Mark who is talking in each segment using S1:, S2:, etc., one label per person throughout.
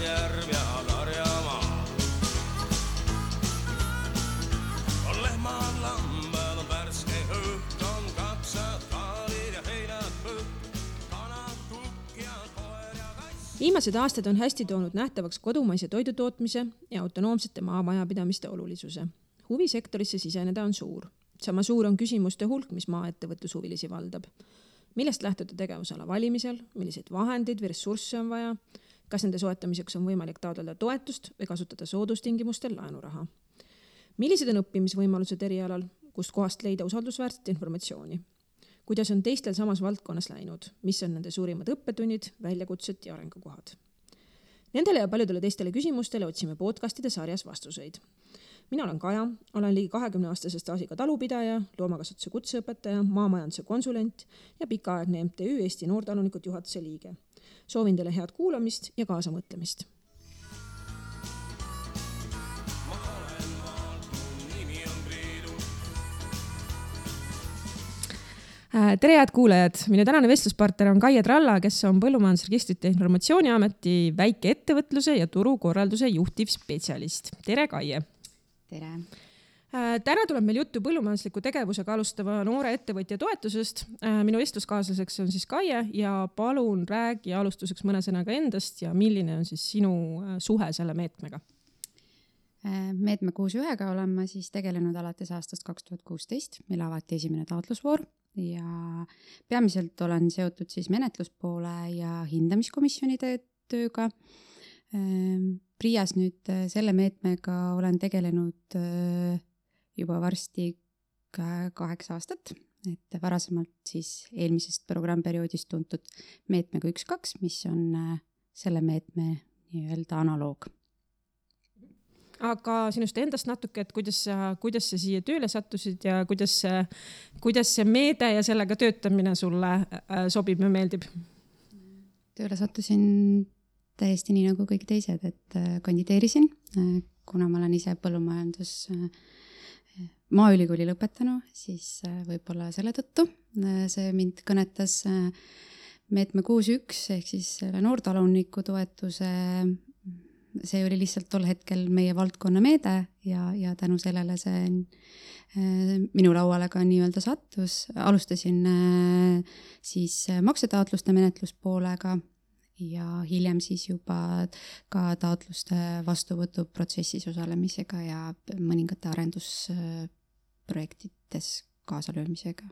S1: järv ja karjamaa. On lehmad, lambad, on värske õhk, on kapsad, kaalid ja heinad põht, kanad, kukk ja koer ja kass.
S2: Viimased aastad on hästi toonud nähtavaks kodumaise toidutootmise ja autonoomsete maamajapidamiste olulisuse. Huvisektorisse siseneda on suur. Sama suur on küsimuste hulk, mis maaettevõtlushuvilisi valdab. Millest lähtuda tegevusala valimisel, milliseid vahendeid või ressursse on vaja, kas nende soetamiseks on võimalik taotleda toetust või kasutada soodustingimustel laenuraha. Millised on õppimisvõimalused erialal, kust kohast leida usaldusväärset informatsiooni? Kuidas on teistel samas valdkonnas läinud, mis on nende suurimad õppetunnid, väljakutsed ja arengukohad? Nendele ja paljudele teistele küsimustele otsime podcastide sarjas vastuseid. Mina olen Kaja, olen ligi 20-aastase staažiga talupidaja, loomakasvatuse kutseõpetaja, maamajanduse konsulent ja pikaaegne MTÜ Eesti Noortalunikud juhatuse liige. Soovin teile head kuulamist ja kaasamõtlemist. Tere head kuulajad! Minu tänane vestluspartner on Kaie Tralla, kes on Põllumajandusregistrite Informatsiooniameti väikeettevõtluse ja turukorralduse juhtiv spetsialist. Tere Kaie!
S3: Tere!
S2: Täna tuleb meil juttu põllumajandusliku tegevusega alustava noore ettevõtja toetusest. Minu vestluskaaslaseks on siis Kaie ja palun räägi alustuseks mõne sõnaga endast ja milline on siis sinu suhe selle meetmega?
S3: Meetme 6.1-ga olen ma siis tegelenud alates aastast 2016, mil avati esimene taotlusvoor ja peamiselt olen seotud siis menetluspoole ja hindamiskomisjonide tööga. Priias nüüd selle meetmega olen tegelenud juba varsti 8 aastat, et varasemalt siis eelmisest programmperioodist tuntud meetmega 1.2, mis on selle meetme nii-öelda analoog.
S2: Aga sinust endast natuke, et kuidas sa siia tööle sattusid ja kuidas see meede ja sellega töötamine sulle sobib ja meeldib?
S3: Tööle sattusin täiesti nii nagu kõik teised, et kandideerisin, kuna ma olen ise põllumajandus maaülikooli lõpetanu, siis võib-olla selle tõttu see mind kõnetas meetme 6.1 ehk siis noortaluniku toetuse. See oli lihtsalt tol hetkel meie valdkonna meede ja tänu sellele see minu lauale ka nii-öelda sattus. Alustasin siis maksetaotluste menetluspoolega ja hiljem siis juba ka taotluste vastuvõtu protsessis osalemisega ja mõningate arendusprojektides kaasalöömisega.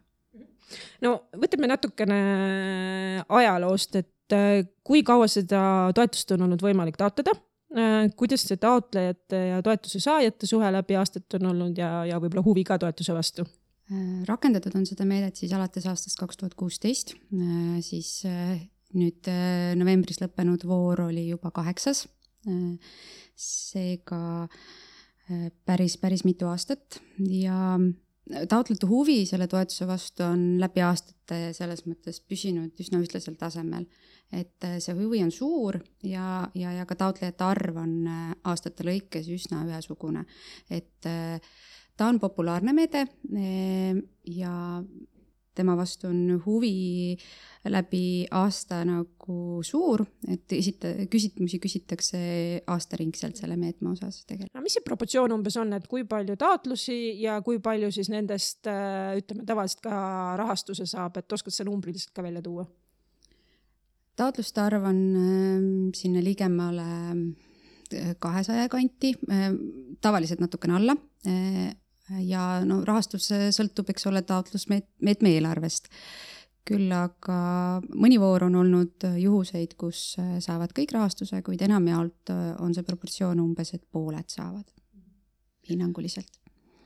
S2: No võtame natukene ajaloost, et kui kaua seda toetust on olnud võimalik taotleda? Kuidas see taotlejate ja toetuse saajate suhe läbi aastat on olnud ja võib-olla huvi ka toetuse vastu?
S3: Rakendatud on seda meedet siis alates aastast 2016, siis nüüd novembris lõppenud voor oli juba 8. Seega päris mitu aastat ja taotlete huvi selle toetuse vastu on läbi aastate selles mõttes püsinud üsna ühtlasel tasemel, et see huvi on suur ja ka taotlejate arv on aastate lõikes üsna ühesugune, et ta on populaarne meede ja tema vastu on huvi läbi aasta nagu suur, et küsimusi küsitakse aastaringselt selle meetme osas tegelikult.
S2: No, mis see proportsioon umbes on, et kui palju taotlusi ja kui palju siis nendest, ütleme, tavaliselt ka rahastuse saab, et oskad see numbriliselt ka välja tuua?
S3: Taotluste arv on sinna ligemale 200 kanti, tavaliselt natukene alla. Ja no, rahastus sõltub, eks ole, taotlusmeetme eelarvest. Küll aga mõni voor on olnud juhuseid, kus saavad kõik rahastuse, kuid enamjaolt on see proportsioon umbes, et pooled saavad hinnanguliselt.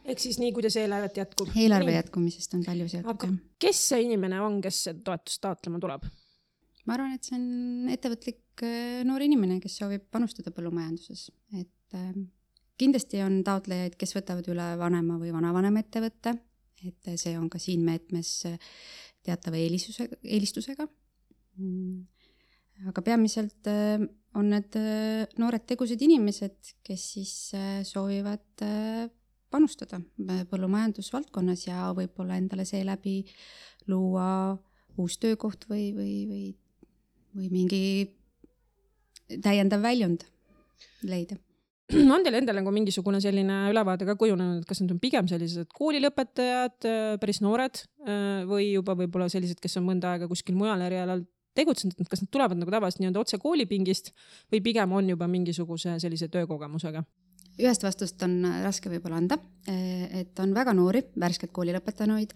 S2: Ehk siis nii, kuidas eelarvet jätkub?
S3: Eelarve jätkumisest on palju seotud.
S2: Aga kes see inimene on, kes toetust taotlema tuleb?
S3: Ma arvan, et see on ettevõtlik noor inimene, kes soovib panustada põllumajanduses. Et kindlasti on taotlejaid, kes võtavad üle vanema või vanavanema ettevõtte, et see on ka siin meetmes teatava eelistusega. Aga peamiselt on need noored tegused inimesed, kes siis soovivad panustada põllumajandusvaldkonnas ja võib-olla endale seeläbi luua uus töökoht või mingi täiendav väljund leida.
S2: On teil endal nagu mingisugune selline ülevaade ka kujunenud, et kas need on pigem sellised koolilõpetajad, päris noored või juba võib-olla sellised, kes on mõnda aega kuskil mujal erialal tegutsenud, et kas nad tulevad nagu tavaliselt nii-öelda otse koolipingist või pigem on juba mingisuguse sellise töökogemusega?
S3: Ühest vastust on raske võib-olla anda, et on väga noori, värskelt kooli lõpetanuid,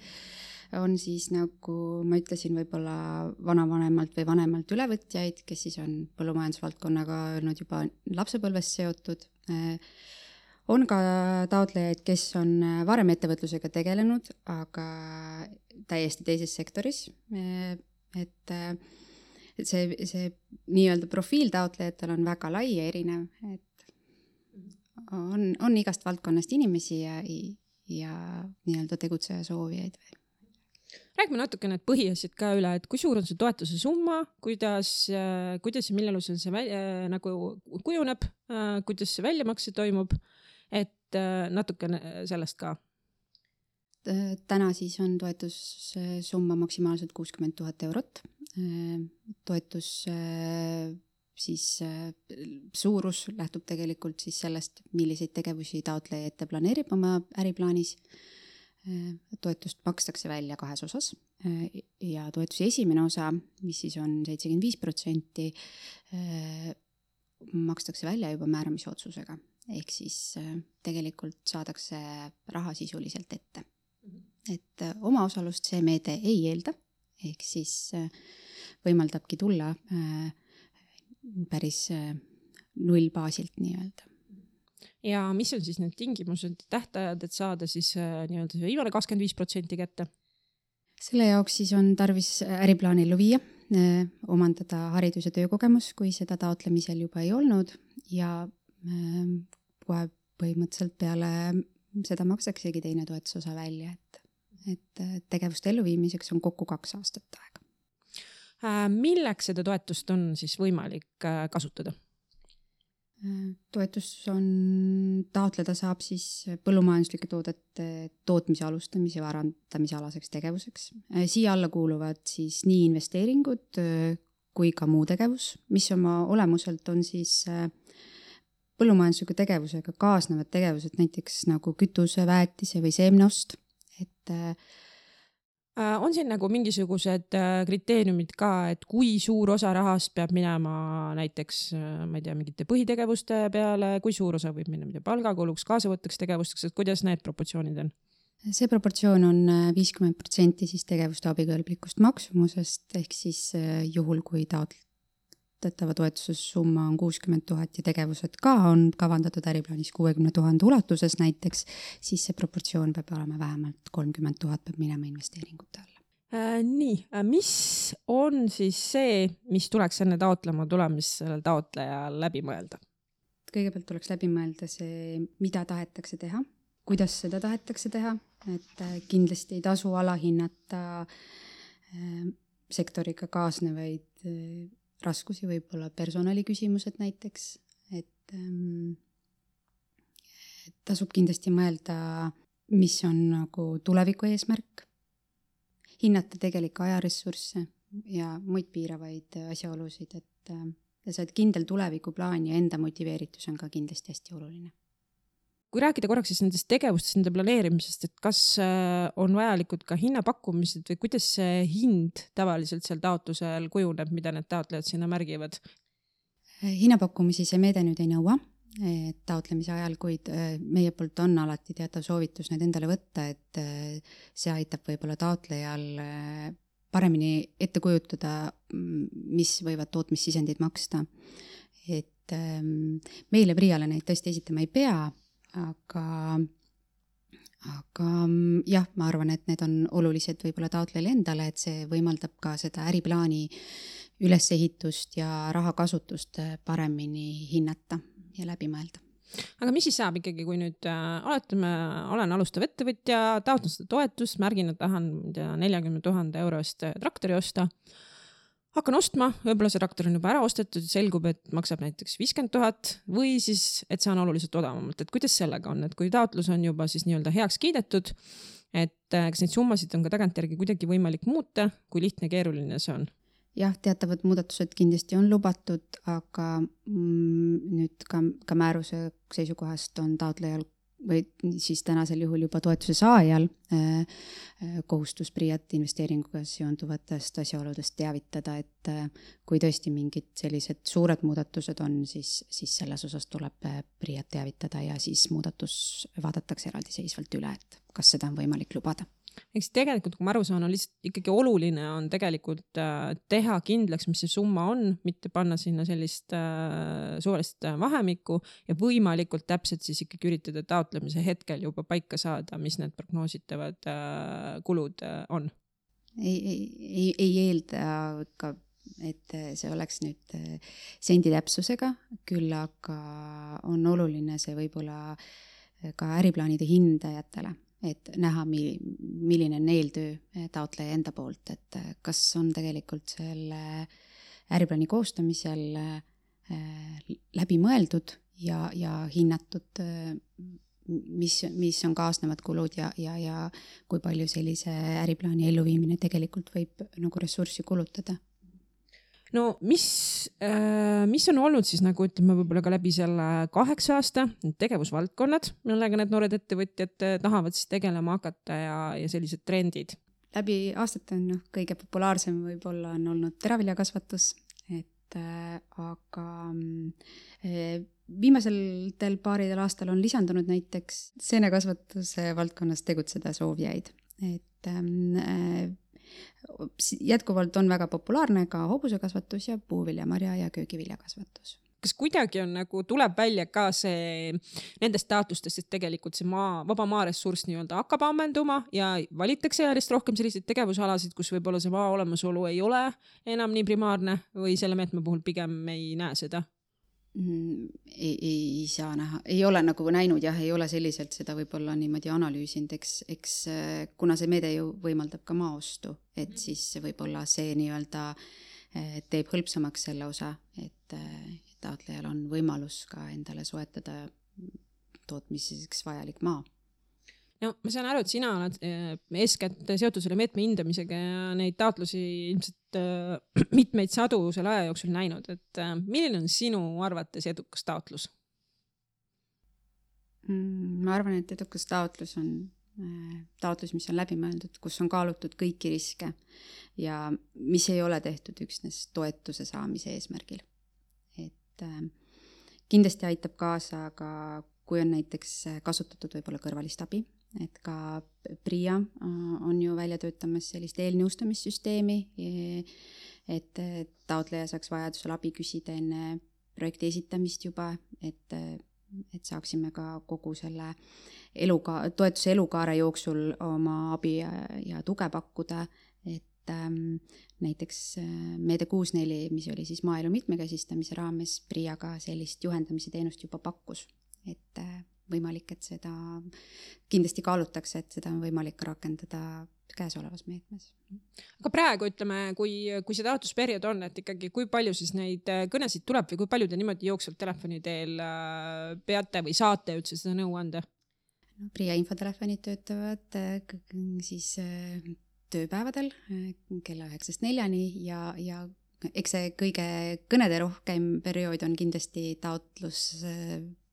S3: on siis nagu ma ütlesin, võib-olla vanavanemalt või vanemalt ülevõtjaid, kes siis on põllumajandusvaldkonnaga olnud juba lapsepõlvest seotud. On ka taotlejaid, kes on varem ettevõtlusega tegelenud, aga täiesti teises sektoris. Et see nii-öelda profiil taotlejatel on väga lai ja erinev, et on igast valdkonnast inimesi ja nii-öelda tegutseja soovijaid.
S2: Räägime natuke need põhiasjad ka üle, et kui suur on see toetuse summa, kuidas ja mille alusel see nagu kujuneb, kuidas see väljamakse toimub, et natuke sellest ka.
S3: Täna siis on toetussumma maksimaalselt 60 000 eurot. Toetus siis suurus lähtub tegelikult siis sellest, milliseid tegevusi taotleja ette planeerib oma äriplaanis. Toetust makstakse välja 2 osas ja toetusi esimene osa, mis siis on 75%, makstakse välja juba määramise otsusega. Ehk siis tegelikult saadakse raha sisuliselt ette. Et omaosalust see meede ei eelda, ehk siis võimaldabki tulla päris nullbaasilt nii-öelda.
S2: Ja mis on siis need tingimused, tähtajad, et saada siis nii-öelda see viimane 25% kätte?
S3: Selle jaoks siis on tarvis äriplaan ellu viia, omandada haridus- ja töökogemus, kui seda taotlemisel juba ei olnud ja kohe põhimõtteliselt peale seda maksaksegi teine toetusosa välja, et tegevuste elluviimiseks on kokku 2 aastat aega.
S2: Milleks seda toetust on siis võimalik kasutada?
S3: Toetus on, taotleda saab siis põllumajanduslike toodete tootmise alustamise ja varandamise alaseks tegevuseks. Siia alla kuuluvad siis nii investeeringud kui ka muu tegevus, mis oma olemuselt on siis põllumajandusliku tegevusega kaasnevad tegevused, näiteks nagu kütuse, väetise või seemneost.
S2: On siin nagu mingisugused kriteeriumid ka, et kui suur osa rahast peab minema näiteks, ma ei tea, mingite põhitegevuste peale, kui suur osa võib minna palgakuluks, kaasavõtteks tegevusteks, et kuidas need proportsioonid on?
S3: See proportsioon on 50% siis tegevuste abikõlblikust maksumusest, ehk siis juhul, kui taotletava toetuse summa on 60 000 ja tegevused ka on kavandatud äriplaanis 60 000 ulatuses näiteks, siis see proportsioon peab olema vähemalt 30 000 peab minema investeeringute alla.
S2: Nii, mis on siis see, mis tuleks enne taotlema tulemist sellel taotlejal läbi mõelda?
S3: Kõigepealt tuleks läbi mõelda see, mida tahetakse teha, kuidas seda tahetakse teha, et kindlasti ei tasu alahinnata sektoriga kaasnevaid raskusi, võib-olla personaliküsimused näiteks, et tasub kindlasti mõelda, mis on nagu tuleviku eesmärk, hinnata tegelikku ajaressursse ja muid piiravaid asjaolusid, et sa oled kindel tulevikuplaan ja enda motiveeritus on ka kindlasti hästi oluline.
S2: Kui rääkida korraks siis nendest tegevustest, nende planeerimisest, et kas on vajalikud ka hinnapakkumised või kuidas see hind tavaliselt seal taotlusel kujuneb, mida need taotlejad sinna märgivad?
S3: Hinnapakkumisi see meede nüüd ei nõua taotlemise ajal, kuid meie poolt on alati teatav soovitus need endale võtta, et see aitab võib-olla taotlejal paremini ette kujutada, mis võivad tootmissisendid maksta. Et meile Priale neid tõesti esitama ei pea, aga jah, ma arvan, et need on olulised võib-olla taotlejale endale, et see võimaldab ka seda äriplaani ülesehitust ja rahakasutust paremini hinnata ja läbi mõelda.
S2: Aga mis siis saab ikkagi, kui nüüd olen alustav ettevõtja, taotlen seda toetust, märgin, et tahan 40 000 eurost traktori osta, hakkan ostma, võib-olla see traktor on juba ära ostetud, selgub, et maksab näiteks 50 000 või siis, et see on oluliselt odavamalt, et kuidas sellega on, et kui taotlus on juba siis nii-öelda heaks kiidetud, et kas neid summasid on ka tagantjärgi kuidagi võimalik muuta, kui lihtne ja keeruline see on?
S3: jah, teatavad muudatused kindlasti on lubatud, aga nüüd ka määruse seisukohast on taotlejal või siis tänasel juhul juba toetuse saajal kohustus PRIA-t investeeringuga seonduvatest asjaoludest teavitada, et kui tõesti mingid sellised suured muudatused on, siis selles osas tuleb PRIA-t teavitada ja siis muudatus vaadatakse eraldiseisvalt üle, et kas seda on võimalik lubada.
S2: Eks tegelikult, kui ma aru saan, on lihtsalt ikkagi oluline on tegelikult teha kindlaks, mis see summa on, mitte panna sinna sellist suvalist vahemikku ja võimalikult täpselt siis ikkagi üritada taotlemise hetkel juba paika saada, mis need prognoositavad kulud on.
S3: Ei eelda ka, et see oleks nüüd sendi täpsusega, küll aga on oluline see võib-olla ka äriplaanide hindajatele, et näha, milline on eeltöö taotleja enda poolt, et kas on tegelikult selle äriplaani koostamisel läbi mõeldud ja hinnatud, mis on kaasnevad kulud ja kui palju sellise äriplaani elluviimine tegelikult võib nagu ressurssi kulutada.
S2: No mis on olnud siis nagu ütleme võib-olla ka läbi selle 8 aasta tegevusvaldkonnad, millega need noored ettevõtjad tahavad siis tegelema hakata ja sellised trendid?
S3: Läbi aastate on kõige populaarsem võib-olla on olnud teraviljakasvatus, aga viimasel paaridel aastal on lisandunud näiteks seenekasvatuse valdkonnas tegutseda soovijaid, et jätkuvalt on väga populaarne ka hobusekasvatus ja puuviljamarja ja köögiviljakasvatus.
S2: Kas kuidagi on nagu tuleb välja ka see nendest taotlustest, et tegelikult see vaba maaressurss nii-öelda hakkab ammenduma ja valitakse järjest rohkem selliseid tegevusalasid, kus võib-olla see maa olemasolu ei ole enam nii primaarne või selle meetme puhul pigem ei näe seda?
S3: Ei saa näha, ei ole nagu näinud jah, ei ole selliselt seda võib-olla niimoodi analüüsinud, eks kuna see meede ju võimaldab ka maaostu, et siis võib-olla see nii-öelda teeb hõlpsamaks selle osa, et taotlejal on võimalus ka endale soetada tootmiseks vajalik maa.
S2: No ma saan aru, et sina oled eeskätt seotud selle meetme hindamisega ja neid taotlusi ilmselt mitmeid sadu selle aja jooksul näinud, et milline on sinu arvates edukas taotlus?
S3: Ma arvan, et edukas taotlus on taotlus, mis on läbi mõeldud, kus on kaalutud kõiki riske ja mis ei ole tehtud üksnes toetuse saamise eesmärgil. Et kindlasti aitab kaasa, aga kui on näiteks kasutatud võib-olla kõrvalist abi, et ka PRIA on ju välja töötamas sellist eelnõustamissüsteemi, et taotleja saaks vajadusel abi küsida enne projekti esitamist juba, et saaksime ka kogu selle toetuse elukaare jooksul oma abi ja tuge pakkuda, et näiteks meede 64, mis oli siis maaelu mitmekesistamise raames, PRIA-ga sellist juhendamise teenust juba pakkus, et võimalik, et seda kindlasti kaalutakse, et seda on võimalik rakendada käesolevas meetmes.
S2: Aga praegu ütleme, kui see taotlusperiood on, et ikkagi kui palju siis neid kõnesid tuleb või kui palju te niimoodi jooksvalt telefoni teel peate või saate üldse seda nõu anda?
S3: No, PRIA infotelefonid töötavad siis tööpäevadel kella 9-4 ja eks see kõige kõnede rohkem periood on kindlasti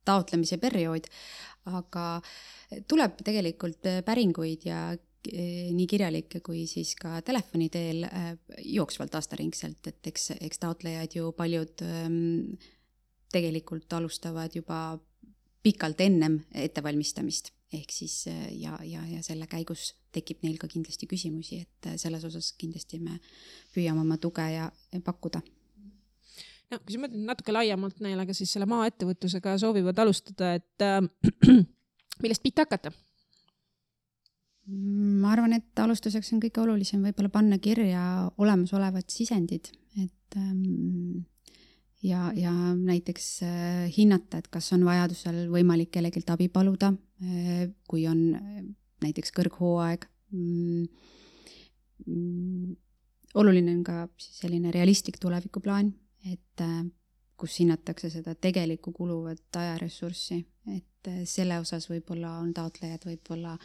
S3: taotlemise periood, aga tuleb tegelikult päringuid ja nii kirjalikke kui siis ka telefoni teel jooksvalt aastaringselt, et eks taotlejad ju paljud tegelikult alustavad juba pikalt ennem ettevalmistamist, ehk siis ja selle käigus tekib neil ka kindlasti küsimusi, et selles osas kindlasti me püüame oma tuge ja pakkuda.
S2: No, kui sa mõtled natuke laiemalt neile, aga siis selle maaettevõtlusega soovivad alustada, et millest pihta hakata?
S3: Ma arvan, et alustuseks on kõige olulisem võib-olla panna kirja olemasolevad sisendid, et ja näiteks hinnata, et kas on vajadusel võimalik kellegilt abi paluda, kui on näiteks kõrghooaeg. Oluline on ka selline realistlik tulevikuplaan, et kus hinnatakse seda tegelikku kuluvat ajaressurssi, et selle osas võib-olla on taotlejad võib-olla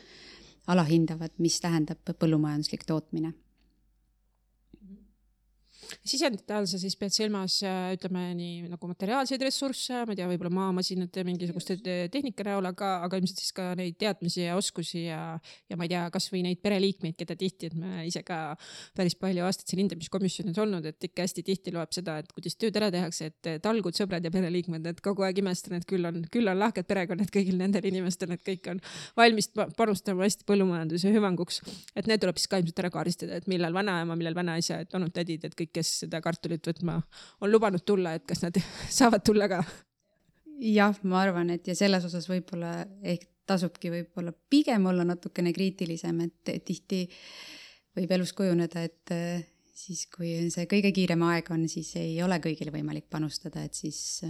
S3: alahindavad, mis tähendab põllumajanduslik tootmine.
S2: Sisendite all sa siis pead silmas, ütleme nii nagu materiaalseid ressursse, ma ei tea, võib-olla maamasinate mingisuguste tehnika näol, aga ilmselt siis ka neid teadmisi ja oskusi ja ma ei tea, kas või neid pereliikmeid, keda tihti, et me ise ka päris palju aastaid siin hindamiskomisjonis olnud, et ikka hästi tihti loeb seda, et kuidas tööd ära tehakse, et talgud, sõbrad ja pereliikmed, et kogu aeg imestan, et küll on lahked perekonnad kõigil nendel inimestel, et kõik on valmis panustama hästi põllumajanduse hüvanguks. Et need tuleb siis ka ilmselt ära kaaristada, et millal vanaema, millal vanaisa, et olnud tädid, et kõik, kes seda kartulit võtma on lubanud tulla, et kas nad saavad tulla ka?
S3: Jah, ma arvan, et ja selles osas võib-olla ehk tasubki võib-olla pigem olla natukene kriitilisem, et tihti võib elus kujuneda, et siis kui see kõige kiirem aeg on, siis ei ole kõigil võimalik panustada, et siis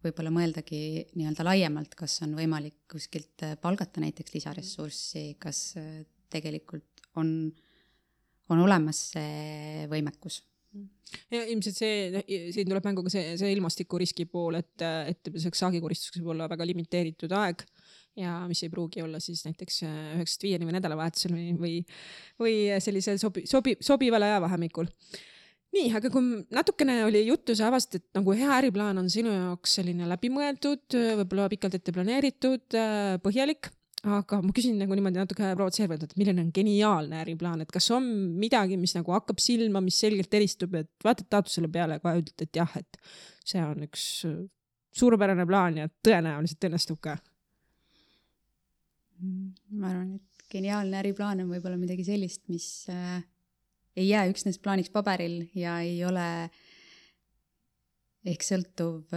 S3: võib-olla mõeldagi nii-öelda laiemalt, kas on võimalik kuskilt palgata näiteks lisaressurssi, kas tegelikult on olemas see võimekus.
S2: Ja ilmselt siin tuleb mängu ka see ilmastikuriski pool, et saagikoristuseks võib olla väga limiteeritud aeg ja mis ei pruugi olla siis näiteks 9-5 või nädalavahetusel või sellisel sobival ajavahemikul. Nii, aga kui natukene oli juttu, sa avast, et nagu hea äriplaan on sinu jaoks selline läbimõeldud, võib-olla pikalt ette planeeritud, põhjalik. Aga ma küsin nagu niimoodi natuke provotseerivalt, et milline on geniaalne äriplaan, et kas on midagi, mis nagu hakkab silma, mis selgelt eristub, et vaatad taotlusele peale ja kohe ütled, et jah, et see on üks suurepärane plaan ja tõenäoliselt õnnestub ka.
S3: Ma arvan, et geniaalne äriplaan on võib-olla midagi sellist, mis ei jää üksnes plaaniks paberil ja ei ole ehk sõltuv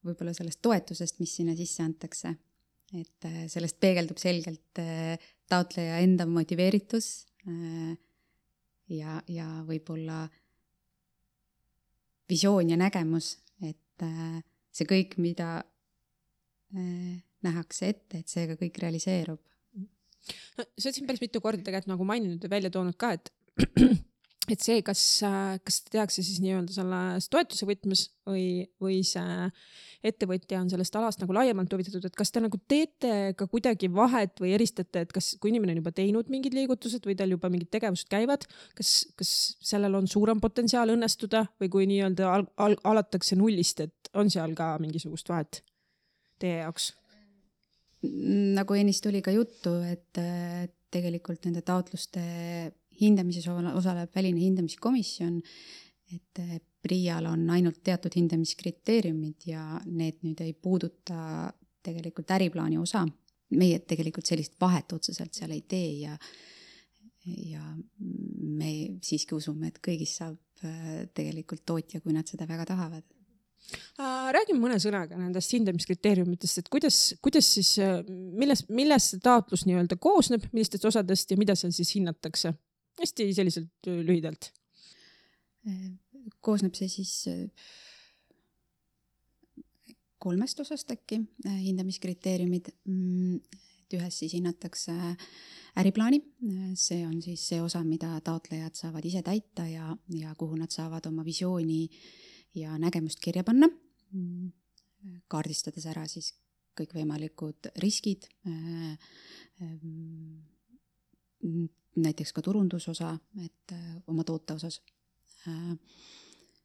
S3: võib-olla sellest toetusest, mis sinna sisse antakse. Et sellest peegeldub selgelt taotleja enda motiveeritus ja võib-olla visioon ja nägemus, et see kõik, mida nähakse ette, et see ka kõik realiseerub.
S2: No, sa oled siin päris mitu korda tegelikult nagu maininud ja välja toonud ka, et see, kas tehakse siis nii-öelda selles toetuse võtmes või see ettevõtja on sellest alast nagu laiemalt huvitatud, et kas te nagu teete ka kuidagi vahet või eristate, et kas kui inimene on juba teinud mingid liigutused või tal juba mingid tegevused käivad, kas sellel on suurem potentsiaal õnnestuda või kui nii-öelda alatakse nullist, et on seal ka mingisugust vahet teie jaoks?
S3: Nagu ennist tuli ka juttu, et tegelikult nende taotluste hindamises osaleb väline hindamiskomisjon, et PRIA-l on ainult teatud hindamiskriteeriumid ja need nüüd ei puuduta tegelikult äriplaani osa. Meie tegelikult sellist vahet otseselt seal ei tee ja me siiski usume, et kõigis saab tegelikult tootja, kui nad seda väga tahavad.
S2: Räägime mõne sõnaga nendest hindamiskriteeriumitest, et kuidas siis, millest taotlus nii-öelda koosneb, millistest osadest ja mida seal siis hinnatakse? Hästi selliselt lühidalt.
S3: Koosneb see siis 3 osast äkki hindamiskriteeriumid. Ühes siis hinnatakse äriplaani. See on siis see osa, mida taotlejad saavad ise täita ja kuhu nad saavad oma visiooni ja nägemust kirja panna. Kaardistades ära siis kõikvõimalikud riskid, näiteks ka turundusosa, et oma toote osas.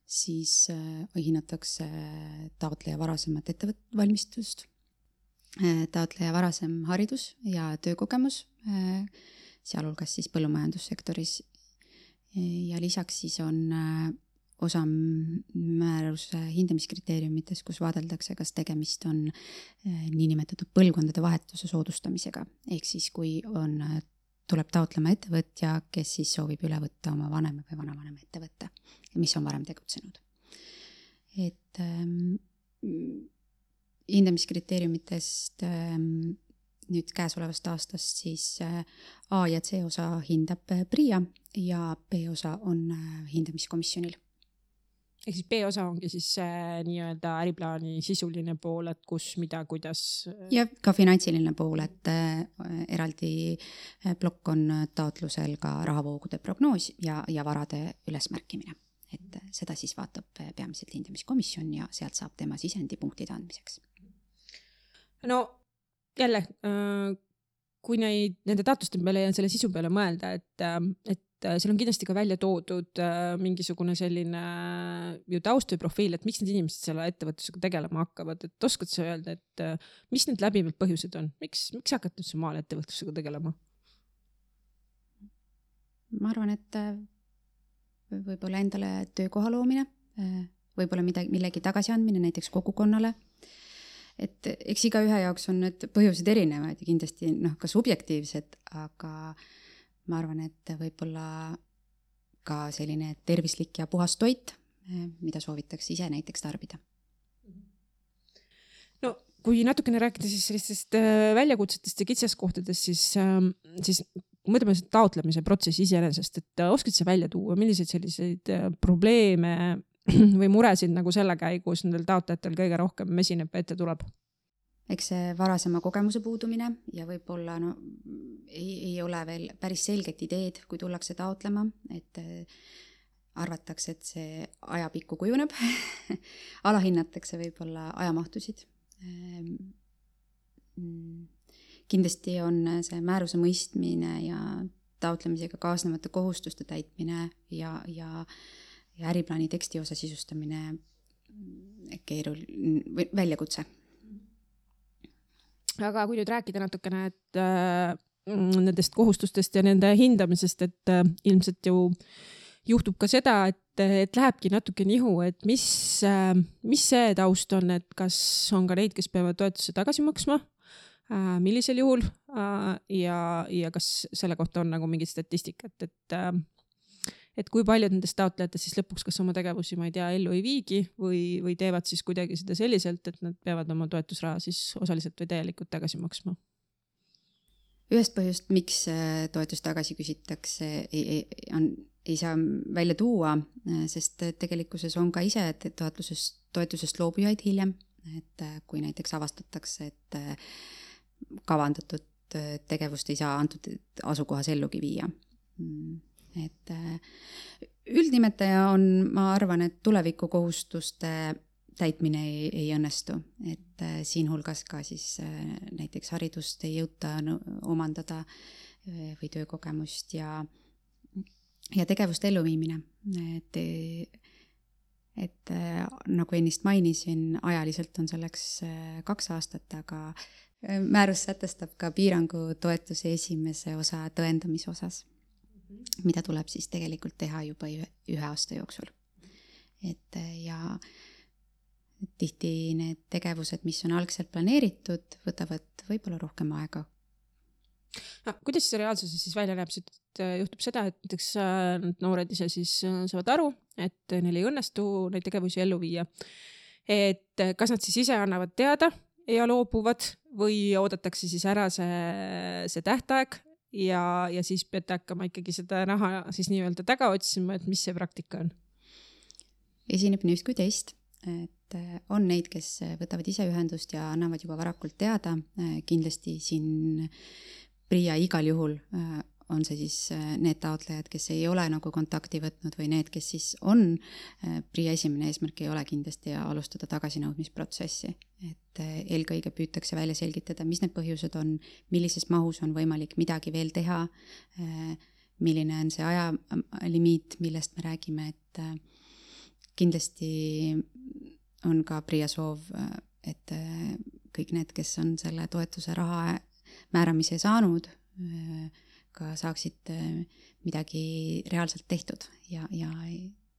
S3: Siis hinnatakse taotleja varasemat ettevõtvalmistust, taotleja varasem haridus ja töökogemus, sealhulgas siis põllumajandussektoris. Ja lisaks siis on osa määruse hindamiskriteeriumites, kus vaadeldakse, kas tegemist on niinimetatud põlvkondade vahetuse soodustamisega. Ehk siis, kui tuleb taotlema ettevõtja, kes siis soovib üle võtta oma vanema või vanavanema ettevõtte, mis on varem tegutsenud. Et hindamiskriteeriumitest nüüd käesolevast aastast siis A ja C osa hindab PRIA ja B osa on hindamiskomisjonil.
S2: Ehk siis B-osa ongi siis nii-öelda äriplaani sisuline pool, et kus, mida, kuidas...
S3: Ja ka finantsiline pool, et eraldi plokk on taotlusel ka rahavoogude prognoos ja varade ülesmärkimine. Et seda siis vaatab peamiselt hindamiskomisjon ja sealt saab tema sisendi punktide andmiseks.
S2: No jälle, kui nende taotluste peale ja selle sisu peale mõelda, et seal on kindlasti ka välja toodud mingisugune selline ju taust või profiil, et miks need inimesed selle ettevõtlusega tegelema hakkavad, et oskad sa öelda, et mis need läbivad põhjused on, miks hakata üldse maal ettevõtlusega tegelema?
S3: Ma arvan, et võib-olla endale töökoha loomine, võib-olla millegi tagasiandmine näiteks kogukonnale, et eks iga ühe jaoks on need põhjused erinevad ja kindlasti ka subjektiivsed, aga ma arvan, et võib-olla ka selline tervislik ja puhas toit, mida soovitakse ise näiteks tarbida.
S2: No kui natukene rääkida siis sellistest väljakutsetest ja kitsaskohtadest, siis mõtleme taotlemise protsessi iseenesest, et oskad sa välja tuua, milliseid selliseid probleeme või muresid nagu selle käigus nendel taotlejatel kõige rohkem esineb ette tuleb?
S3: Eks see varasema kogemuse puudumine ja võib-olla ei ole veel päris selget ideed, kui tullakse taotlema, et arvatakse, et see ajapikku kujuneb, alahinnatakse võib-olla ajamahtusid. Kindlasti on see määruse mõistmine ja taotlemisega kaasnevate kohustuste täitmine ja äriplaani teksti osa sisustamine väljakutse.
S2: Aga kui nüüd rääkida natukene, et nendest kohustustest ja nende hindamisest, et ilmselt ju juhtub ka seda, et lähebki natuke nihu, et mis see taust on, et kas on ka neid, kes peavad toetuse tagasi maksma, millisel juhul ja kas selle kohta on nagu mingit statistikat, et kui paljud nendest taotlejatest siis lõpuks kas oma tegevusi, ma ei tea, ellu ei viigi või teevad siis kuidagi seda selliselt, et nad peavad oma toetusraha siis osaliselt või täielikult tagasi maksma?
S3: Ühest põhjust, miks toetust tagasi küsitakse, ei saa välja tuua, sest tegelikkuses on ka ise toetusest loobujaid hiljem, et kui näiteks avastatakse, et kavandatud tegevust ei saa antud asukohas ellugi viia. Et üldnimetaja on, ma arvan, et tulevikukohustuste täitmine ei õnnestu, et siin hulgas ka siis näiteks haridust ei jõuta omandada või töökogemust ja tegevuste elluviimine. Et nagu ennist mainisin, ajaliselt on selleks 2 aastat, aga määrus sätestab ka piirangu toetuse esimese osa tõendamise osas, mida tuleb siis tegelikult teha juba 1 aasta jooksul. Ja tihti need tegevused, mis on algselt planeeritud, võtavad võib-olla rohkem aega.
S2: No, kuidas see reaalsuses siis välja näeb? Juhtub seda, et näiteks noored ise siis saavad aru, et neil ei õnnestu neid tegevusi ellu viia. Et kas nad siis ise annavad teada ja loobuvad või oodatakse siis ära see tähtaeg ja siis peate hakkama ikkagi seda raha siis nii-öelda taga otsima, et mis see praktika on?
S3: Esineb nii just kui teist, et on neid, kes võtavad ise ühendust ja annavad juba varakult teada. Kindlasti siin PRIA igal juhul on see siis need taotlejad, kes ei ole nagu kontakti võtnud või need, kes siis on. PRIA esimene eesmärk ei ole kindlasti alustada tagasinõudmisprotsessi. Et eelkõige püütakse välja selgitada, mis need põhjused on, millises mahus on võimalik midagi veel teha, milline on see ajalimiit, millest me räägime, et kindlasti on ka PRIA soov, et kõik need, kes on selle toetuse raha määramise saanud, ka saaksid midagi reaalselt tehtud ja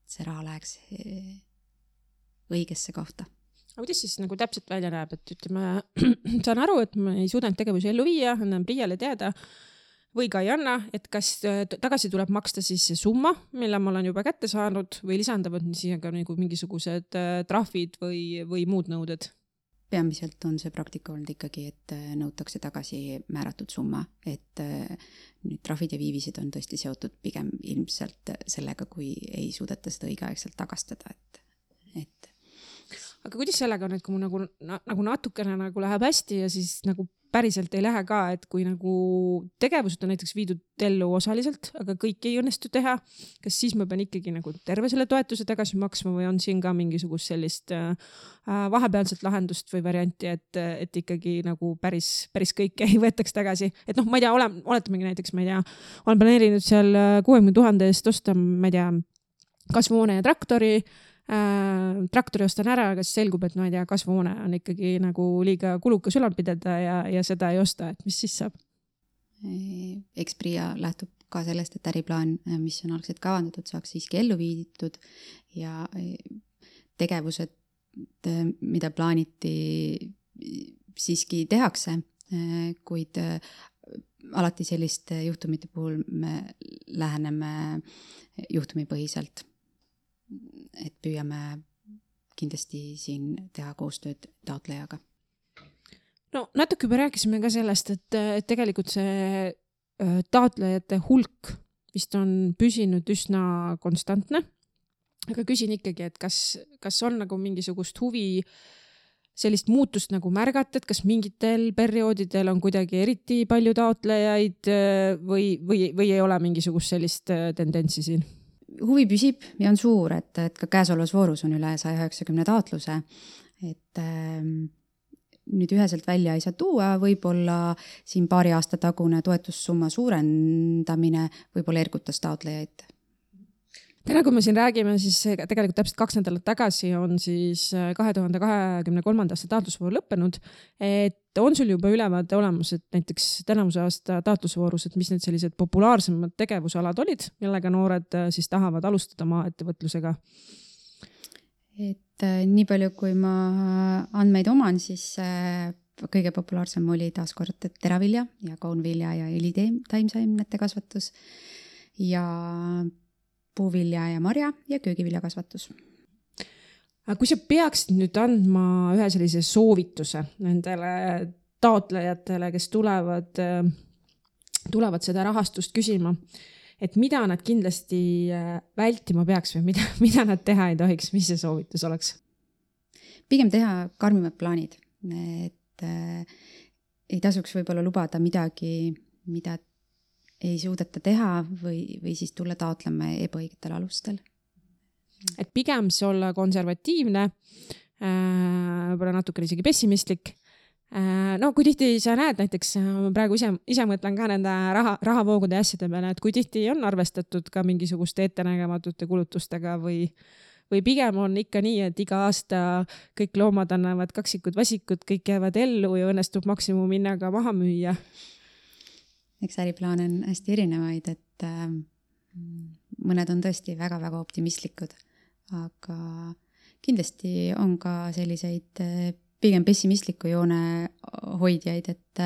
S3: see raha läheks õigesse kohta.
S2: Aga kuidas siis nagu täpselt välja näeb, et ütleme, saan aru, et ma ei suudanud tegevusi ellu viia, annan PRIA-le teada või ka ei anna, et kas tagasi tuleb maksta siis see summa, mille ma olen juba kätte saanud või lisandavad siia ka nagu mingisugused trahvid või muud nõuded?
S3: Peamiselt on see praktika olnud ikkagi, et nõutakse tagasi määratud summa, et nüüd trahvid ja viivised on tõesti seotud pigem ilmselt sellega, kui ei suudeta seda õigeaegselt tagastada, et.
S2: Aga kuidas sellega on, et kui mu nagu natukene nagu läheb hästi ja siis nagu päriselt ei lähe ka, et kui nagu tegevused on näiteks viidud ellu osaliselt, aga kõik ei õnnestu teha, kas siis ma pean ikkagi nagu terve selle toetuse tagasi maksma või on siin ka mingisugust sellist vahepealset lahendust või varianti, et ikkagi nagu päris kõike ei võetaks tagasi. Et noh, ma ei tea, oletamegi näiteks, ma ei tea, olen planeerinud seal 60 000 eest osta, ma ei tea, kasvuhoone ja traktori ostan ära, aga siis selgub, et no ei tea, kasvuhoone on ikkagi nagu liiga kulukas ülal pidada ja seda ei osta, et mis siis saab?
S3: Eks PRIA lähtub ka sellest, et äriplaan, mis on algselt kavandatud, saaks siiski ellu viidud ja tegevused, mida plaaniti, siiski tehakse, kuid alati selliste juhtumite puhul me läheneme juhtumipõhiselt. Et püüame kindlasti siin teha koostööd taotlejaga.
S2: No natuke juba rääkisime ka sellest, et tegelikult see taotlejate hulk vist on püsinud üsna konstantne. Aga küsin ikkagi, et kas on nagu mingisugust huvi sellist muutust nagu märgata, et kas mingitel perioodidel on kuidagi eriti palju taotlejaid või ei ole mingisugust sellist tendentsi siin?
S3: Huvi püsib ja on suur, et ka käesolevas voorus on üle 190 taotluse, et nüüd üheselt välja ei saa tuua, võib-olla siin paari aasta tagune toetussumma suurendamine võib-olla ergutas taotlejaid.
S2: Täna, kui me siin räägime, siis tegelikult täpselt 2 nädalat tagasi on siis 2023. aasta taotlusvoor lõppenud, et on sul juba ülevaade olemas, et näiteks tänavuse aasta taotlusvoorus, et mis need sellised populaarsemad tegevusalad olid, millega noored siis tahavad alustada maaettevõtlusega?
S3: Et nii palju, kui ma andmeid oman, siis kõige populaarsem oli taaskord teravilja ja kaunvilja ja õlitaimseemnete kasvatus ja puuvilja ja marja ja köögivilja kasvatus.
S2: Aga kui sa peaksid nüüd andma ühe sellise soovituse nendele taotlejatele, kes tulevad seda rahastust küsima, et mida nad kindlasti vältima peaks või mida nad teha ei tohiks, mis see soovitus oleks?
S3: Pigem teha karmimad plaanid, et ei tasuks võib-olla lubada midagi, mida ei suudeta teha või siis tulla taotlema ebaõigetel alustel.
S2: Et pigem see olla konservatiivne, võib-olla natukene isegi pessimistlik. No kui tihti sa näed näiteks, ma praegu ise mõtlen ka nende rahavoogude asjade peale, et kui tihti on arvestatud ka mingisuguste ettenägematute kulutustega või pigem on ikka nii, et iga aasta kõik loomad annavad kaksikud vasikud, kõik jäävad ellu ja õnnestub maksimumhinnaga maha müüa.
S3: Eks äriplaan on hästi erinevaid, et mõned on tõesti väga-väga optimistlikud, aga kindlasti on ka selliseid pigem pessimistliku joone hoidjaid, et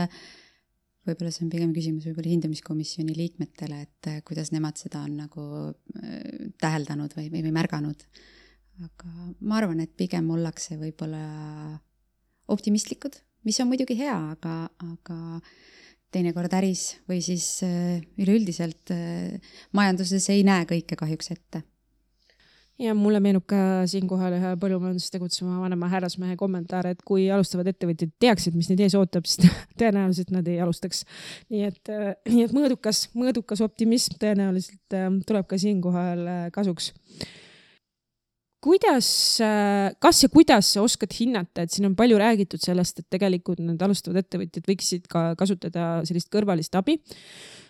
S3: võib-olla see on pigem küsimus võib-olla hindamiskomisjoni liikmetele, et kuidas nemad seda on nagu täheldanud või märganud. Aga ma arvan, et pigem ollakse võib-olla optimistlikud, mis on muidugi hea, aga teinekord äris või siis üleüldiselt majanduses ei näe kõike kahjuks ette.
S2: Ja mulle meenub ka siinkohal ühe põllumajanduses tegutsema vanema härrasmehe kommentaar, et kui alustavad ettevõtjad teaksid, mis neid ees ootab, siis tõenäoliselt nad ei alustaks. Nii et mõõdukas optimism tõenäoliselt tuleb ka siinkohal kasuks. Kuidas sa oskad hinnata, et siin on palju räägitud sellest, et tegelikult need alustavad ettevõtjad võiksid ka kasutada sellist kõrvalist abi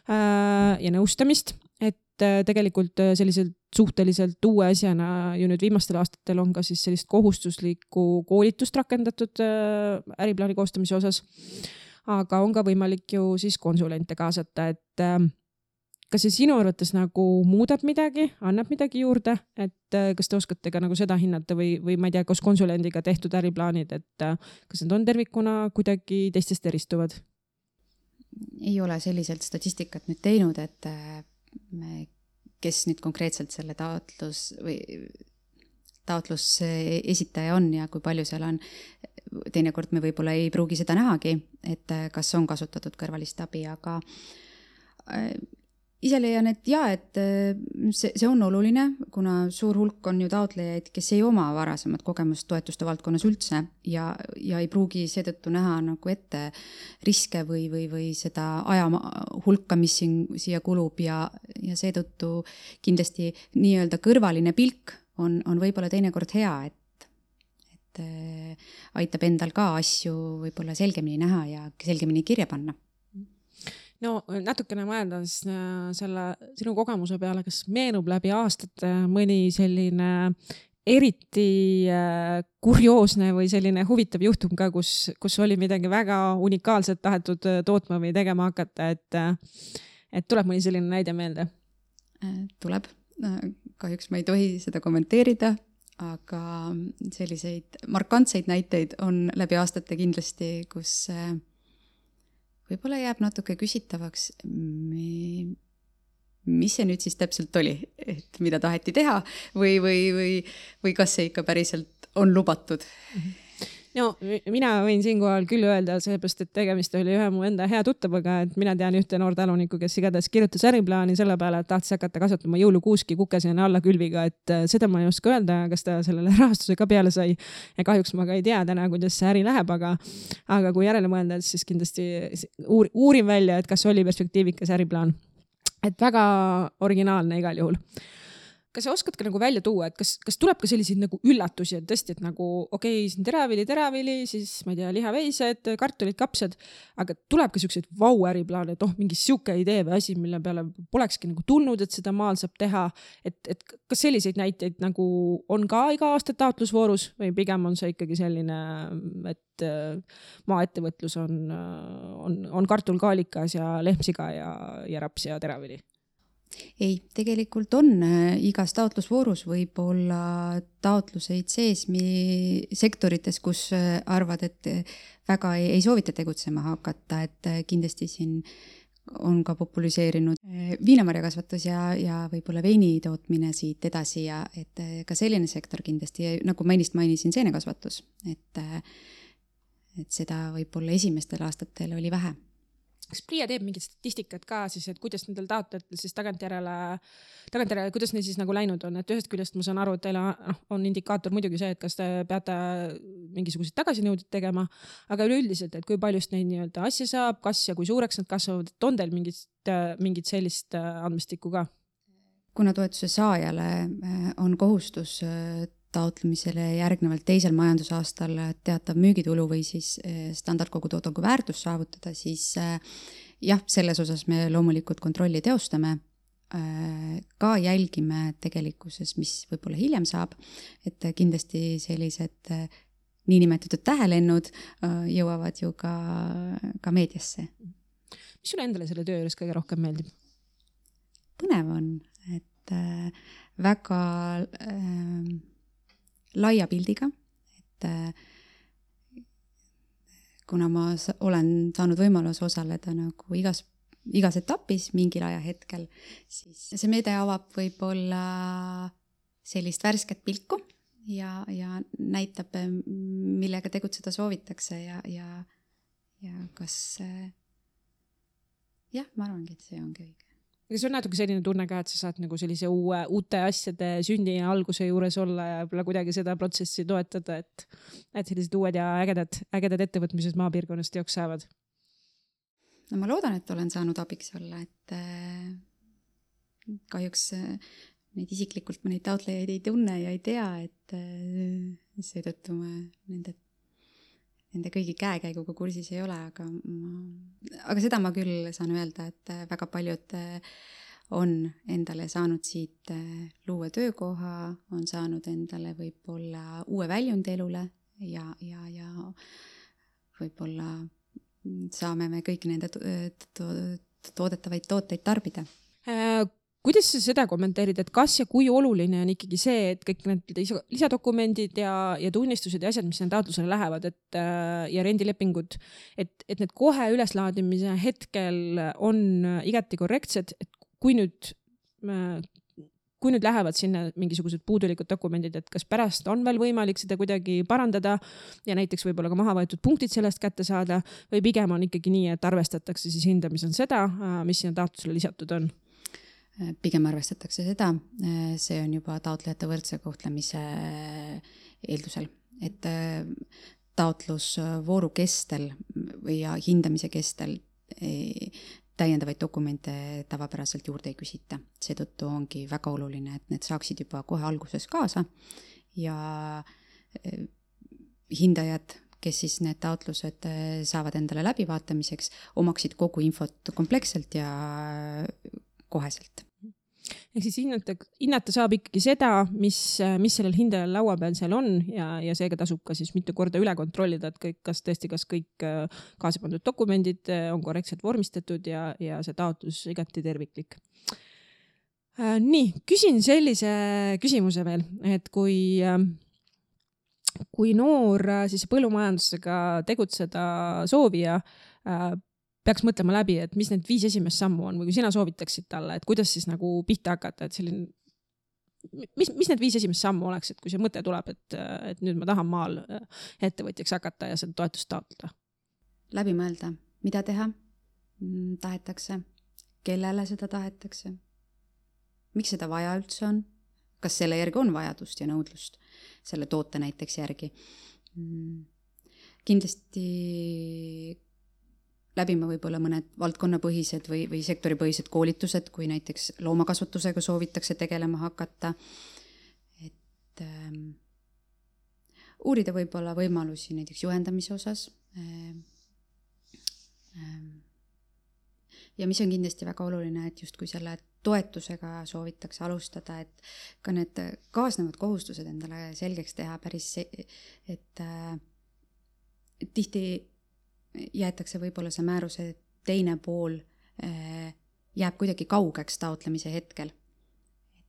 S2: ja nõustamist, et tegelikult selliselt suhteliselt uue asjana ju nüüd viimastel aastatel on ka siis sellist kohustuslikku koolitust rakendatud äriplaani koostamise osas, aga on ka võimalik ju siis konsulente kaasata, et kas see sinu arvates nagu muudab midagi, annab midagi juurde, et kas te oskate ka nagu seda hinnata või ma ei tea, kas konsulendiga tehtud äriplaanid, et kas need on tervikuna kuidagi teistest eristuvad?
S3: Ei ole selliselt statistikat nüüd teinud, et kes nüüd konkreetselt selle taotlus esitaja on ja kui palju seal on. Teinekord me võib-olla ei pruugi seda nähagi, et kas on kasutatud kõrvalist abi, aga ise leian, et et see on oluline, kuna suur hulk on ju taotlejaid, kes ei oma varasemat kogemust toetuste valdkonnas üldse ja ei pruugi seetõttu näha nagu ette riske või seda aja hulka, mis siia kulub ja seetõttu kindlasti nii-öelda kõrvaline pilk on võib-olla teinekord hea, et aitab endal ka asju võib-olla selgemini näha ja selgemini kirja panna.
S2: No natukene mõeldes selle sinu kogemuse peale, kas meenub läbi aastate mõni selline eriti kurioosne või selline huvitav juhtum ka, kus oli midagi väga unikaalset tahetud tootma või tegema hakata, et tuleb mõni selline näide meelde?
S3: Tuleb. Kahjuks ma ei tohi seda kommenteerida, aga selliseid markantseid näiteid on läbi aastate kindlasti, kus võib-olla jääb natuke küsitavaks, mis see nüüd siis täpselt oli, et mida taheti teha või kas see ikka päriselt on lubatud.
S2: No mina võin siinkohal küll öelda, seepärast, et tegemist oli ühe mu enda hea tuttavaga, et mina tean ühte noortalunikku, kes igatahes kirjutas äriplaani selle peale, et tahtis hakata kasvatama jõulukuuski kukesena alla külviga, et seda ma ei oska öelda, kas ta sellele rahastuse ka peale sai. Ja kahjuks ma ka ei tea täna, kuidas see äri läheb, aga kui järele mõelda, siis kindlasti uurin välja, et kas oli perspektiivikas äriplaan. Et väga originaalne igal juhul. Kas sa oskad ka nagu välja tuua, et kas tuleb ka selliseid nagu üllatusi, et tõesti, et nagu okei, siin teravili, siis ma ei tea, lihaveised, kartulid, kapsad, aga tuleb ka selliseid vau-äriplaane, et mingi siuke idee või asi, mille peale polekski nagu tulnud, et seda maal saab teha, et kas selliseid näiteid nagu on ka iga aasta taotlusvoorus või pigem on see ikkagi selline, et maaettevõtlus on kartulkaalikas ja lehmsiga ja raps ja teravili?
S3: Ei, tegelikult on igas taotlusvoorus võib olla taotluseid sees sektorites, kus arvad, et väga ei soovita tegutsema hakata, et kindlasti siin on ka populiseerinud viinamarjakasvatus ja võib-olla veini tootmine siit edasi ja et ka selline sektor kindlasti, nagu ma ennist mainisin, seenekasvatus, et seda võib-olla esimestel aastatel oli vähe.
S2: Kas PRIA teeb mingit statistikat ka siis, et kuidas nendel taotlejatel siis tagantjärele, kuidas neil siis nagu läinud on, et ühest küljest ma saan aru, et teil on indikaator muidugi see, et kas te peate mingisuguseid tagasinõuded tegema, aga üleüldiselt, et kui paljust neid nii-öelda asja saab, kas ja kui suureks nad kasvavad, et on teil mingit sellist andmestikku ka?
S3: Kuna toetuse saajale on kohustus taotlemisele järgnevalt teisel majandusaastal teatav müügitulu või siis standardkogutoodangu väärtus saavutada, siis jah, selles osas me loomulikult kontrolli teostame. Ka jälgime tegelikkuses, mis võib-olla hiljem saab, et kindlasti sellised niinimetatud tähelennud jõuavad ju ka meediasse.
S2: Mis sulle endale selle töö juures kõige rohkem meeldib?
S3: Põnev on, et väga laia pildiga, et kuna ma olen saanud võimalus osaleda nagu igas etapis mingil ajahetkel, siis see meede avab võib-olla sellist värsket pilku ja näitab, millega tegutseda soovitakse ja kas jah, ma arvangi, et see ongi õige.
S2: Kas on natuke selline tunne ka, et sa saad nagu sellise uute asjade sündi ja alguse juures olla ja võib-olla kuidagi seda protsessi toetada, et sellised uued ja ägedad ettevõtmised maapiirkonnast teoks saavad?
S3: No ma loodan, et olen saanud abiks olla, et kahjuks neid isiklikult ma neid taotlejaid ei tunne ja ei tea, et seetõttu ma nende kõigi käekäiguga kursis ei ole, aga seda ma küll saan öelda, et väga paljud on endale saanud siit luua töökoha, on saanud endale võib-olla uue väljundi elule ja võib-olla saame me kõik nende toodetavaid tooteid tarbida.
S2: Kuidas sa seda kommenteerid, et kas ja kui oluline on ikkagi see, et kõik need lisadokumendid ja tunnistused ja asjad, mis taotlusele lähevad, ja rendilepingud, et need kohe üleslaadimise hetkel on igati korrektsed, et kui nüüd lähevad sinna mingisugused puudulikud dokumendid, et kas pärast on veel võimalik seda kuidagi parandada ja näiteks võib-olla ka maha võetud punktid sellest kätte saada või pigem on ikkagi nii, et arvestatakse siis hindamisel seda, mis sinna taotlusele lisatud on?
S3: pigem arvestatakse seda, see on juba taotlejate võrdse kohtlemise eeldusel, et taotlusvooru kestel või hindamise kestel täiendavaid dokumente tavapäraselt juurde ei küsita. Seetõttu ongi väga oluline, et need saaksid juba kohe alguses kaasa ja hindajad, kes siis need taotlused saavad endale läbivaatamiseks, omaksid kogu infot kompleksselt ja koheselt.
S2: Ehk siis hinnata saab ikkagi seda, mis sellel hindajal laua peal seal on ja seega tasub ka siis mitu korda üle kontrollida, et kas kõik kaasa pandud dokumendid on korrektselt vormistatud ja see taotlus igati terviklik. Nii, küsin sellise küsimuse veel, et kui noor siis põllumajandusega tegutseda soovija peaks mõtlema läbi, et mis need 5 esimest sammu on või kui sina soovitaksid talle, et kuidas siis nagu pihta hakata, et selline, mis need 5 esimest sammu oleks, et kui see mõte tuleb, et nüüd ma tahan maal ettevõtjaks hakata ja seda toetust taotleda?
S3: Läbi mõelda, mida teha tahetakse, kellele seda tahetakse, miks seda vaja üldse on, kas selle järgi on vajadust ja nõudlust selle toote näiteks järgi. Kindlasti läbima võib-olla mõned valdkonnapõhised või sektoripõhised koolitused, kui näiteks loomakasvatusega soovitakse tegelema hakata. Et uurida võib-olla võimalusi näiteks juhendamise osas. Ja mis on kindlasti väga oluline, et just kui selle toetusega soovitakse alustada, et ka need kaasnevad kohustused endale selgeks teha päris, et tihti jäetakse võib-olla see määruse teine pool jääb kuidagi kaugeks taotlemise hetkel.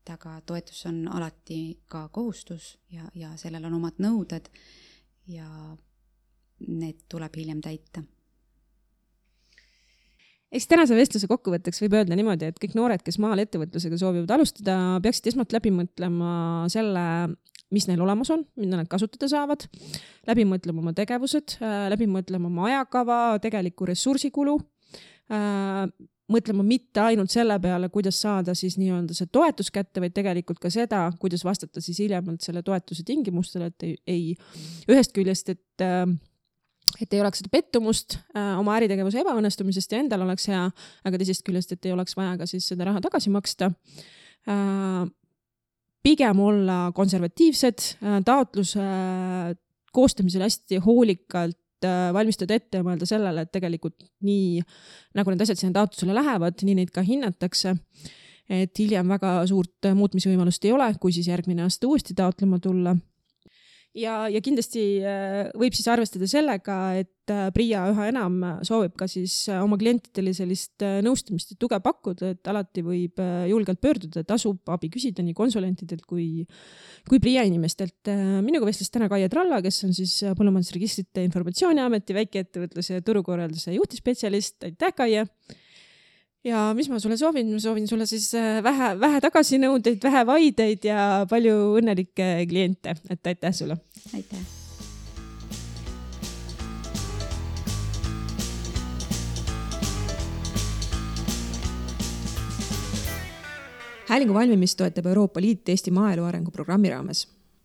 S3: Et aga toetus on alati ka kohustus ja sellel on omad nõuded ja need tuleb hiljem täita.
S2: Eks tänase vestluse kokkuvõtteks võib öelda niimoodi, et kõik noored, kes maal ettevõtlusega soovivad alustada, peaksid esmalt läbi mõtlema selle, mis neil olemas on, mida nad kasutada saavad, läbi mõtlema oma tegevused, läbi mõtlema oma ajakava, tegeliku ressursikulu, mõtlema mitte ainult selle peale, kuidas saada siis nii-öelda see toetus kätte, vaid tegelikult ka seda, kuidas vastata siis hiljemalt selle toetuse tingimustele, et ei ühest küljest, et ei oleks seda pettumust oma äritegevuse ebaõnnestumisest ja endal oleks hea, aga teisest küljest, et ei oleks vaja ka siis seda raha tagasi maksta. Pigem olla konservatiivsed, taotluse koostamisel hästi hoolikalt valmistada ette ja mõelda sellele, et tegelikult nii, nagu need asjad sinna taotlusele lähevad, nii neid ka hinnatakse, et hiljem väga suurt muutmisvõimalust ei ole, kui siis järgmine aasta uuesti taotlema tulla. Ja kindlasti võib siis arvestada sellega, et PRIA üha enam soovib ka siis oma klientidele sellist nõustamist ja tuge pakkuda, et alati võib julgelt pöörduda, tasub abi küsida nii konsulentidelt kui PRIA inimestelt. Minuga vestles täna Kaie Tralla, kes on siis Põllumajandusregistrite Informatsiooniameti väikeettevõtluse ja turukorralduse juhtispetsialist. Aitäh, Kaie! Ja mis ma sulle soovin? Ma soovin sulle siis vähe tagasinõudeid, vähe vaideid ja palju õnnelikke kliente. Et aitäh sulle!
S3: Aitäh!
S2: Häälingu valmimist toetab Euroopa Liit Eesti maaelu arengu programmi raames.